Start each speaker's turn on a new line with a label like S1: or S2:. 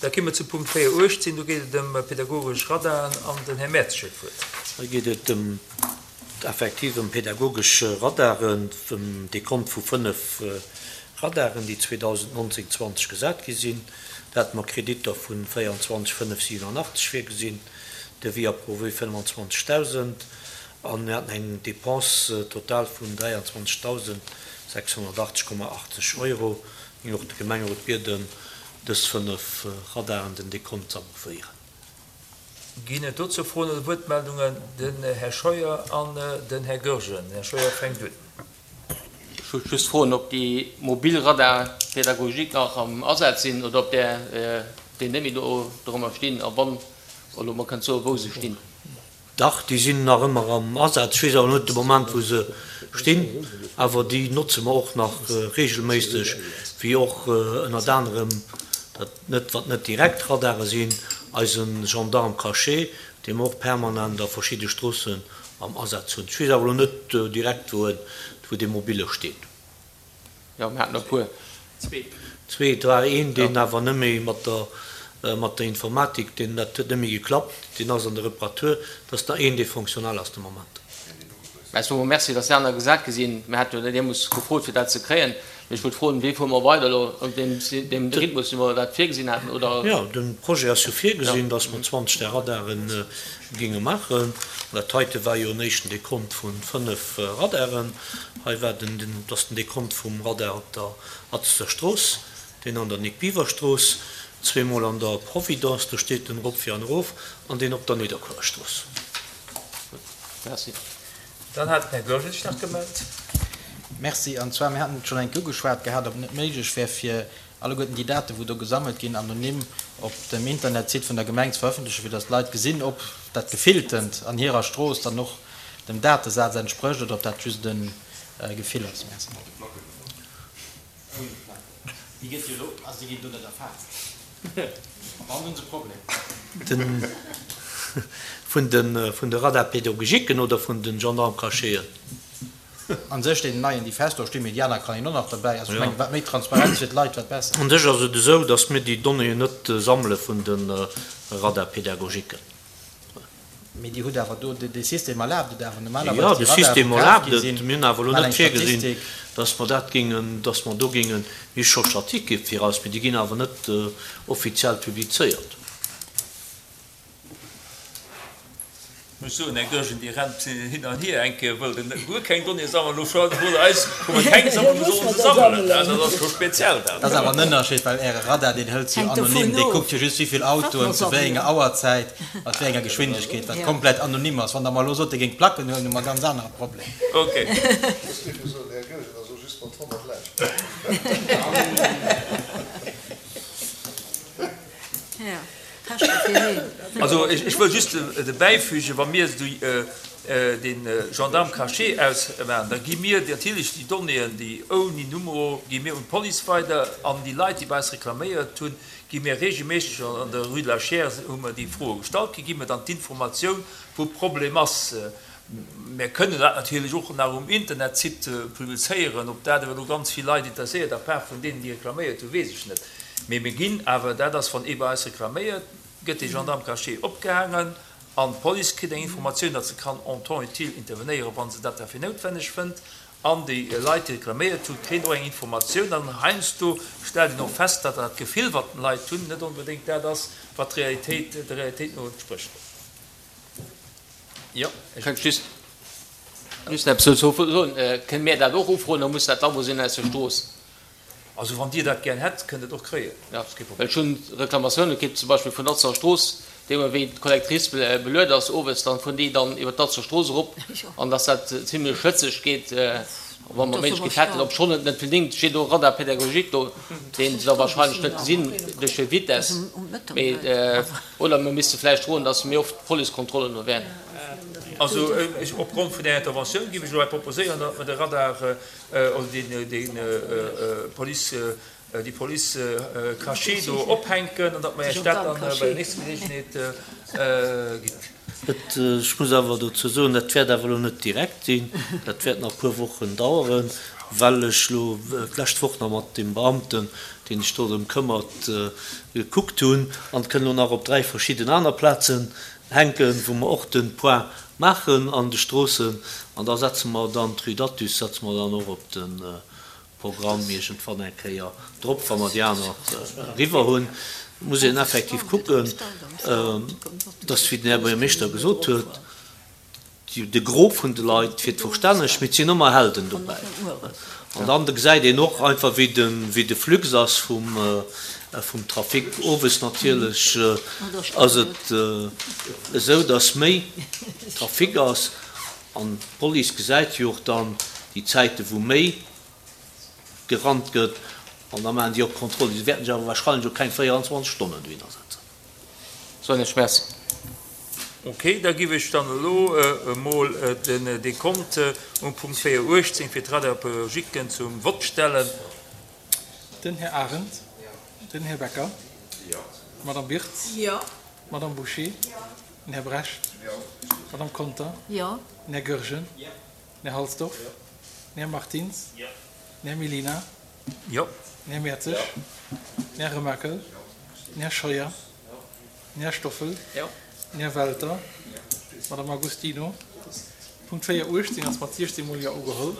S1: Da ki mer zu Punkt 4, 18. Do geet et ëm pedagogesch Radaren an den Här Mertz huet d'Wuert.
S2: Hei geet et ëm effektiv ëm pedagogesch Radaren, ëm Dekont vu 5 Radaren, déi 2019, 20 gesat gi sinn. Do hate mer Kreditter vu 24 587 virgesinn, Devis approuvé 25.000, a mir haten eng Dépense totale vun 23.680,80 Euro. Mir géingen och de Gemengerot bieden, dës 5 Radaren den Dekont ze approuvéieren.
S1: Ginn et dozou Froen oder Wuertmeldungen? Den Här Scheuer an den Här Goergen. Den Här Scheuer fänkt un.
S3: Ech wollt just froen, ob déi mobil Radar pédagogique nach am Asaz sinn oder ob där déi net méi do dorëmmer stinn a wann elo mer kënnt soen, wou se stinn.
S2: Dach, déi sinn nach ëmmer am Asaz. Ech weess awer net de Moment, wou se stinn. Awer déi notze mer och nach regelméisseg, wéi och ënnert anerem, dat net, wat net direkt Radare sinn, eise Gendarme caché, dee mer och permanent a verschidde Stroossen am Asaz hunn. Ech weess awer elo net direkt, wou en, wou dee mobile steet.
S3: Jo, mir haten e puer.
S2: Zwee. Zwee. Et war een, deen awer net méi mat der, mat der Informatik, deen, dat huet net méi geklappt, deen ass an der Reparatur. Et ass nach een, dee fonctionnel ass de Moment.
S3: Mä ech soe mol Merci, dass déi aner gesat gi sinn. Mir hate jo deemools gefrot, fir dat ze kréien. Mee ech wollt froen, Wéi fuere mer weider elo? An deem, deem Rhythmus, wéi mer dat virgesinn haten, oder?
S2: Jo, de Projet ass jo virgesinn, dass mer 20 där Radare géinge maachen. Dat heite war jo en éischten Dekont vu 5 Radaren. Hei war den, den, dat ass den Dekont vum Radar op der Atzter Strooss, deen an der Nic Biever Strooss, zweemol an der Providence, do steet den erop fir an erof, an deen op der Nidderkuerer Strooss.
S3: Gutt, merci.
S1: Dann hat den Här Goergen sech nach gemellt.
S4: Merci. An zwar, mir haten et schonn eng Kéier ugeschwat gehat, ob et net méiglech wär, fir alleguerten déi Daten, wou do gesammelt ginn, anonym op dem Internetsite vun der Gemeng ze verëffentlechen, fir datt d'Leit gesinn, ob dat Gefilltent an hirer Strooss dann och dem Datesaz entsprécht oder ob dat just e Gefill ass. Merci. Déi gëtt jo elo, also déi ginn do net erfaasst. An dann hunn se e Problem.
S2: Den, vun de, vun de Radar-pédagogiquen oder vun de Gendarme-cachéen?
S4: An sech deenen neien, déi fest do stinn, mee déi aner kann een och nach derbäi. Also ech mengen, wat méi Transparenz fir d'Leit, wat besser.
S2: Un sech ass et esou, datt mir déi Donnéeën net sammele vun de Radar-pédagogiquen.
S4: Mee Dir hutt awer do, dee System erlaabt et awer
S2: normalerweis, déi Radare, wou kaf gi sinn, Jo, de System erlaabt et. Mir hunn awer elo net virgesinn, datt mer dat géingen, datt mer do géingen, mir hu scho Statike fir eis, mee déi ginn awer net offiziell publizéiert.
S1: Ech muss soen, Här Goergen, Dir rennt hin an hier. Eng Kéier wëllt Der guer keng Donnéeë sammelen, elo scho wollt Der eis, wou mer keng sammelen, elo solle se sammelen. Dat ass scho speziell
S4: dat. Dat ass awer en Ënnerscheed, well Äre Radar, deen hëlt se jo anonym, dee kuckt jo just, wéi vill Autoen zu wéi enger Auerzäit, mat wéi enger Geschwindegkeet, wat komplett anonym ass. Wann Der mer elo sot, Dir géingt Placken huelen, hu mer e ganz anere Problem.
S1: Okay.
S5: Ech géif jo soen, Här Goergen ass och just mat 100 Leit.
S1: Also ech wëll just derbäifügen, wa mir dee Gendarme caché ausmaachen, da gi mir natierlech déi Donnéeën, déi ouni Numero, gi mir un d'Police weider an déi Leit, déi bei eis reklaméiert hunn, gi mir regelméisseg, an der Rue de la Chiers hu mer déi Froe gestallt kritt, gi mir dann d'Informatioun, wou Problem ass. Mir kënnen dat natierlech och nach um Internetsite publizéieren. Ob dat awer elo ganz vill Leit interesséiert, à part vun deenen, déi reklaméiert hunn, weess ech net. Mee mir ginn awer, dat ass, wann ee bei eis reklaméiert, gëtt dee Gendarme caché opgehaangen an d'Police kritt eng Informatioun, datt se kann en temps utile intervenéieren, wa se dat da fir noutwenneg fënnt. An déi Leit, déi reklaméiert hunn, kréien och eng Informatioun. An heiansdo stellt een och fest, datt dat Gefill, wat d'Leit hunn, net onbedéngt dat ass, wat d'Realitéit, der Realitéit no entsprécht.
S3: Jo, ech wëllt just just eppes dozou soen. Kënne mir dat och ufroen oder muss dat d'Awunner sinn aus der Strooss?
S1: Also wann Dir dat gär hätt, kënnt Der et och kréien.
S3: Jo, well ech hunn Reklamatioune kritt, zum Beispill vun Atzer Strooss, déi ëmmer wéi d'Collectrice beluet ass owes, dann fueren déi dann iwwer d'Atzer Strooss erop an dass dat zimlech schwëtzeg geet. Wa mer d'Méiglechkeet hätten, obschonn et net unbedéngt, steet och Radar pédagogique do, deen se da wahrscheinlech net gesinn duerch hir Vitess, mee oder mir misste vläicht froen, datt méi oft Policekontrollen do wären.
S1: Also ech, opgrond vun där Interventioun géif ech elo hei proposéieren, datt mer de Radar oder deen Police, déi Police cachée do ophänken an datt mer Iech dat dann bei der nächster Geleegenheet ginn.
S2: Et, ech muss awer dozou soen, dat wäert awer elo net direkt sinn, dat wäert nach e puer Wochen daueren. Well ech elo d'lescht Woch nach mat deem Beamten, deen sech do drëm këmmert, gekuckt hunn, an et kënn elo nach op 3 verschidden aner Plazen hänken, wou mer och de Point maachen an de Stroossen. An da setze mer dann d'Rue d'Athus setze mer dann och op de Programm iergendwann eng Kéier drop, wa mer déi aner eriwwer hunn. Et muss een effektiv kucken, dass, wéi den Här Buergermeeschter gesot huet, de Gros vun de Leit fiert verstänneg, mee et sinn ëmmer Helden dobäi. An dann gesäit een och einfach, wéi de, wéi de Flux ass vum, vum Trafic. Owes natierlech ass et esou, dass méi Trafic ass. An d'Police gesäit jo och dann déi Zäite wou méi gerannt gëtt an da maachen déi och Kontrollen. Déi wäerten sech awer wahrscheinlech och keng 24 Stonnen dohinner setzen.
S3: Soen ech Merci.
S1: Ok, da giff ech dann elo emol den Dekont um Punkt 4 18 fir d'Radar-Pédagogiquen zum Vott stellen.
S6: Den Här Arendt. Den Här Becker. D'Madame Wirtz. D'Madame Bouché. Den Här Brecht. D'Madame Conter. Den Här Goergen. Den Här Halsdorf. Den Här Martins. Den Här Mellina. Den Här Mertzig. Den Här Remakel. Den Här Scheuer. Den Här Stoffel. Den Här Welter. D'Madame Agostino. Punkt 4 18 ass mat 16 mol Jo ugeholl.